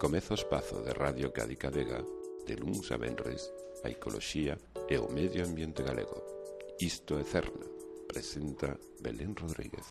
Comeza o espazo de Radio Cádica Vega, de luns a venres, a ecoloxía e o medio ambiente galego. Isto é Cerna, presenta Belén Rodríguez.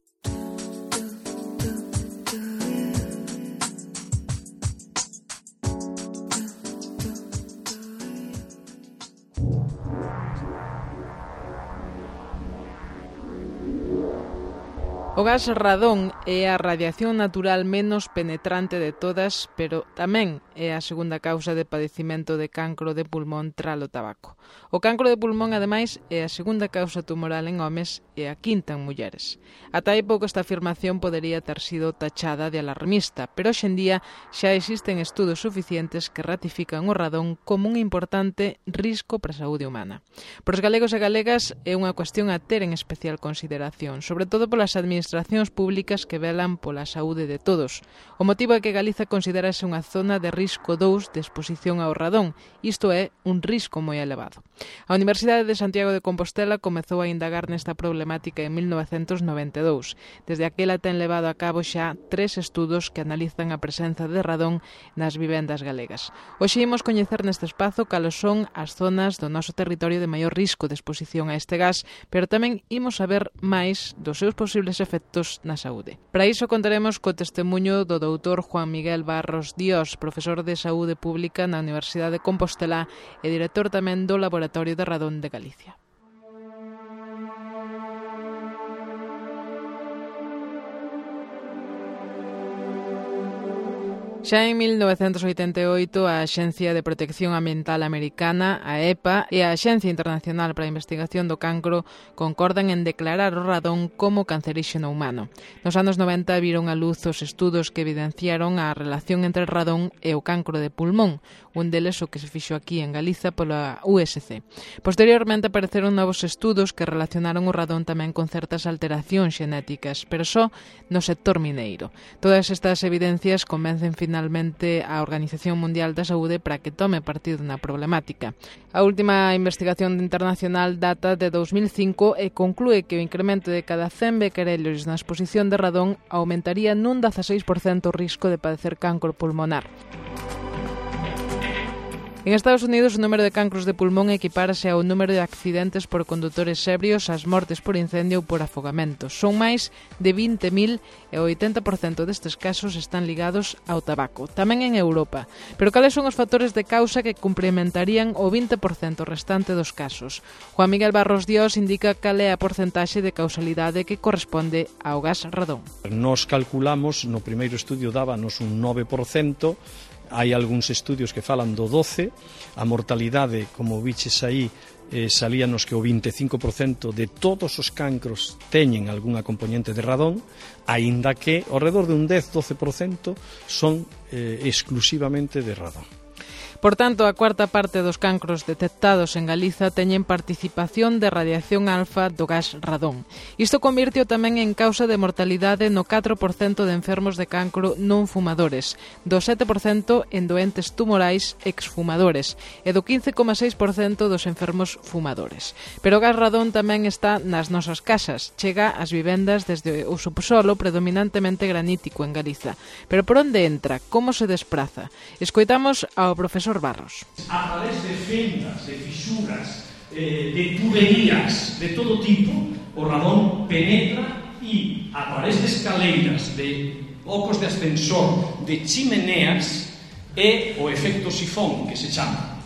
O gas radón é a radiación natural menos penetrante de todas, pero tamén é a segunda causa de padecimento de cancro de pulmón tralo tabaco. O cancro de pulmón, ademais, é a segunda causa tumoral en homes e a quinta en mulleres. Ata hai pouco esta afirmación podería ter sido tachada de alarmista, pero hoxe en día xa existen estudos suficientes que ratifican o radón como un importante risco para a saúde humana. Para os galegos e galegas é unha cuestión a ter en especial consideración, sobre todo polas administracións públicas que velan pola saúde de todos. O motivo é que Galiza considerase unha zona de risco 2 de exposición ao radón, isto é, un risco moi elevado. A Universidade de Santiago de Compostela comezou a indagar nesta problemática en 1992. Desde aquela ten levado a cabo xa 3 estudos que analizan a presenza de radón nas vivendas galegas. Hoxe imos coñecer neste espazo cales son as zonas do noso territorio de maior risco de exposición a este gas, pero tamén imos saber máis dos seus posibles efectos na saúde. Para iso contaremos co testemuño do doutor Juan Miguel Barros Dios, profesor de Saúde Pública na Universidade de Compostela e director tamén do Laboratorio de Radón de Galicia. Xa en 1988, a Axencia de Protección Ambiental Americana, a EPA, e a Axencia Internacional para a Investigación do Cancro concordan en declarar o radón como canceríxeno humano. Nos anos 90 viron a luz os estudos que evidenciaron a relación entre o radón e o cancro de pulmón, un deles o que se fixo aquí en Galiza pola USC. Posteriormente apareceron novos estudos que relacionaron o radón tamén con certas alteracións xenéticas, pero só no sector mineiro. Todas estas evidencias convencen finalmente a Organización Mundial da Saúde para que tome partido na problemática. A última investigación internacional data de 2005 e conclúe que o incremento de cada 100 becquerelios na exposición de radón aumentaría nun 16% o risco de padecer cancro pulmonar. En Estados Unidos, o número de cancros de pulmón equipárase ao número de accidentes por condutores ebrios, as mortes por incendio ou por afogamento. Son máis de 20.000 e o 80% destes casos están ligados ao tabaco. Tamén en Europa. Pero cales son os factores de causa que complementarían o 20% restante dos casos? Juan Miguel Barros Dios indica cal é a porcentaxe de causalidade que corresponde ao gas radón. Nos calculamos, no primeiro estudio dábanos un 9%, hai algúns estudios que falan do 12%, a mortalidade, como viches aí, salíanos que o 25% de todos os cancros teñen algunha componente de radón, aínda que ao redor de un 10-12% son exclusivamente de radón. Por tanto, a cuarta parte dos cancros detectados en Galiza teñen participación de radiación alfa do gas radón. Isto convirteo tamén en causa de mortalidade no 4% de enfermos de cancro non fumadores, do 7% en doentes tumorais exfumadores e do 15,6% dos enfermos fumadores. Pero o gas radón tamén está nas nosas casas, chega ás vivendas desde o subsolo predominantemente granítico en Galiza. Pero por onde entra? Como se despraza? Escoitamos ao profesor Barros. A través de fendas, de fisuras, de tuberías de todo tipo, o radón penetra e a través de escaleiras, de ocos de ascensor, de chimeneas, é o efecto sifón que se chama.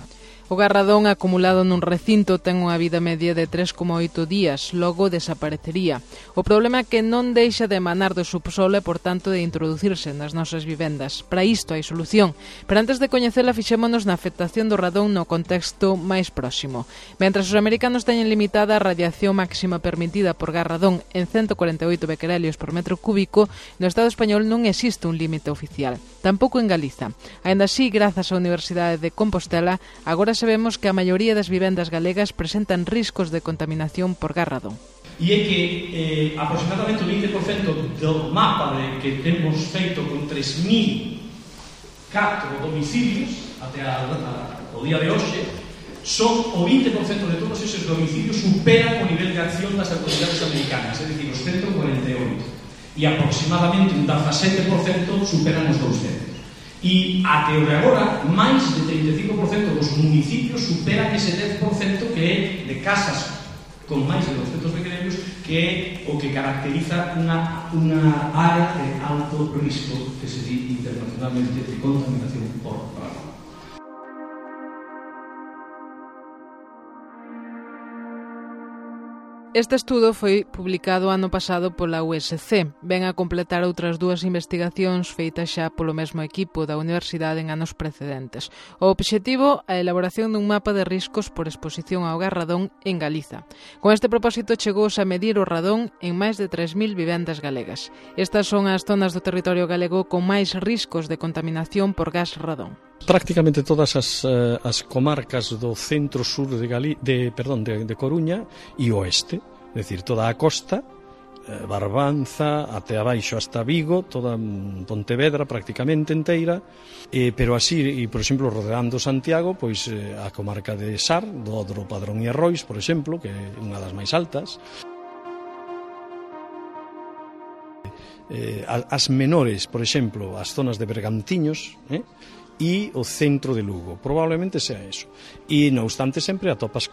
O gas radón acumulado nun recinto ten unha vida media de 3,8 días, logo desaparecería. O problema é que non deixa de emanar do subsolo e, por tanto, de introducirse nas nosas vivendas. Para isto hai solución, pero antes de coñecela fixémonos na afectación do radón no contexto máis próximo. Mentras os americanos teñen limitada a radiación máxima permitida por gas radón en 148 becquerelios por metro cúbico, no Estado español non existe un límite oficial. Tampouco en Galiza. Aínda así, grazas á Universidade de Compostela, agora sabemos que a maioría das vivendas galegas presentan riscos de contaminación por gas radón. E é que aproximadamente o 20% do mapa que temos feito con 3.004 domicilios até o día de hoxe, son o 20% de todos esos domicilios superan o nivel de acción das autoridades americanas, é dicir, os 148, e aproximadamente un 17% superan os 200. E até o de agora, máis de 35% dos municipios superan ese 10% que é de casas con máis de 200 becquerelos, que é o que caracteriza unha área de alto risco que se di internacionalmente de contaminación por radón. Este estudo foi publicado ano pasado pola USC, ven a completar outras dúas investigacións feitas xa polo mesmo equipo da Universidade en anos precedentes. O obxectivo, a elaboración dun mapa de riscos por exposición ao gas radón en Galiza. Con este propósito chegouse a medir o radón en máis de 3.000 vivendas galegas. Estas son as zonas do territorio galego con máis riscos de contaminación por gas radón. Prácticamente todas as comarcas do centro-sur de Coruña e oeste, é dicir, toda a costa, Barbanza, até abaixo hasta Vigo, toda Pontevedra prácticamente inteira, pero así, e por exemplo, rodeando Santiago, pois a comarca de Sar, do Odro, Padrón e Arrois, por exemplo, que é unha das máis altas. As menores, por exemplo, as zonas de Bergantiños, e o centro de Lugo, probablemente sea eso. E, non obstante, sempre atopas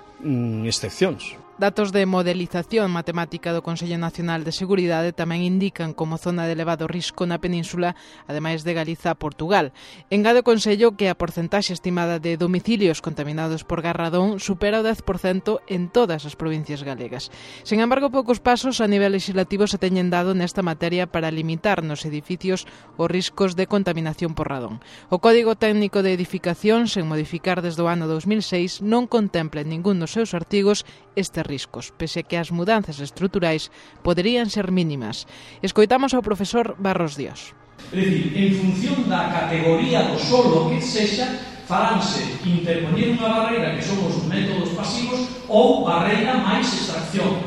excepcións. Datos de modelización matemática do Consello Nacional de Seguridade tamén indican como zona de elevado risco na península, ademais de Galiza, Portugal. Engade o Consello que a porcentaxe estimada de domicilios contaminados por gas radón supera o 10% en todas as provincias galegas. Sen embargo, poucos pasos a nivel legislativo se teñen dado nesta materia para limitar nos edificios os riscos de contaminación por radón. O Código Técnico de Edificación, sen modificar desde o ano 2006, non contempla en ningún dos seus artigos estes riscos, pese que as mudanzas estruturais poderían ser mínimas. Escoitamos ao profesor Barros Dios. É dicir, en función da categoría do solo que sexa, faránse interpoñer unha barreira que son os métodos pasivos ou barreira máis extracción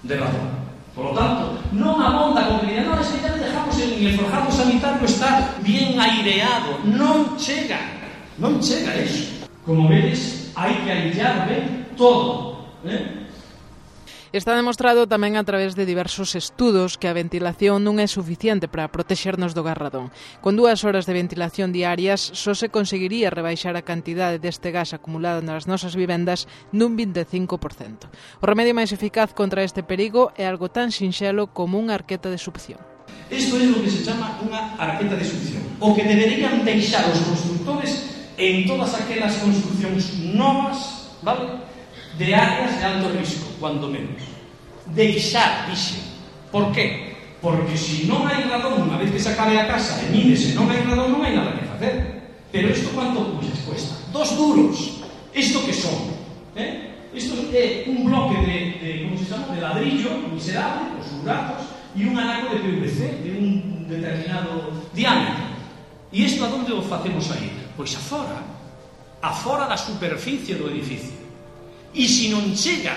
de radón. Por lo tanto, non abonda con que digan, non, es que ya dejamos en el forjado sanitario está bien aireado. Non chega eso. Como vedes, hai que aillar ben todo. Está demostrado tamén a través de diversos estudos que a ventilación non é suficiente para protexernos do gas radón. Con 2 horas de ventilación diarias só se conseguiría rebaixar a cantidade deste gas acumulado nas nosas vivendas nun 25%. O remedio máis eficaz contra este perigo é algo tan sinxelo como unha arqueta de succión. Isto é o que se chama unha arqueta de succión. O que deberían deixar os constructores en todas aquelas construccións novas, vale? De áreas de alto risco, cuando menos. Deixar, dixe. Por qué? Porque se non hai radón, unha vez que se acabe a casa e mídese, non hai radón, non hai nada que facer. Pero isto quanto cuesta? 2 duros. Isto que son? Isto é un bloque de como se chama, de ladrillo miserable, os buratos, e un anaco de PVC de un determinado diámetro. E isto a onde o facemos aí? Pois afora da superficie do edificio. E se non chega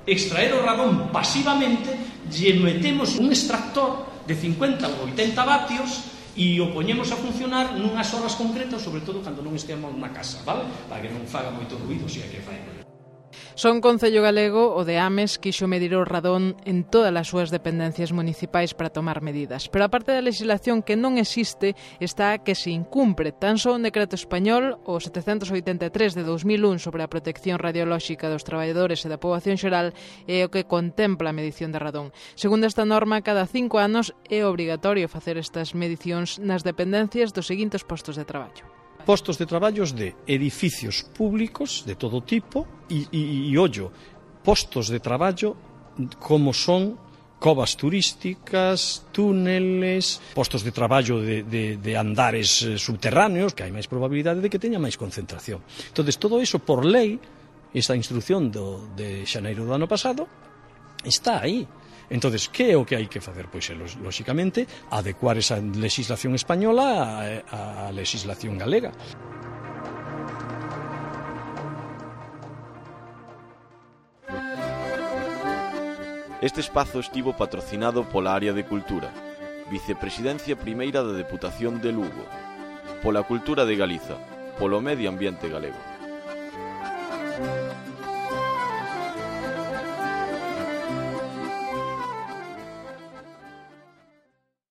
extraer o radón pasivamente, lle metemos un extractor de 50 ou 80 vatios e o poñemos a funcionar nunhas horas concretas, sobre todo cando non esteamos na casa, vale? Para que non faga moito ruido, se hai que facer. Son Concello Galego, o de Ames, quixo medir o radón en todas as súas dependencias municipais para tomar medidas. Pero a parte da legislación que non existe, está a que se incumpre tan só un decreto español, o 783 de 2001 sobre a protección radiolóxica dos traballadores e da poboación xeral, é o que contempla a medición de radón. Segundo esta norma, cada 5 anos é obrigatorio facer estas medicións nas dependencias dos seguintes postos de traballo. Postos de traballos de edificios públicos de todo tipo e ollo, postos de traballo como son covas turísticas, túneles, postos de traballo de andares subterráneos, que hai máis probabilidade de que teña máis concentración. Entón, todo iso por lei, esta instrucción de xaneiro do ano pasado, está aí. Entón, que é o que hai que facer? Pois, lóxicamente, adecuar esa legislación española á legislación galega. Este espazo estivo patrocinado pola Área de Cultura, Vicepresidencia Primeira da Deputación de Lugo, pola Cultura de Galiza, polo Medio Ambiente Galego.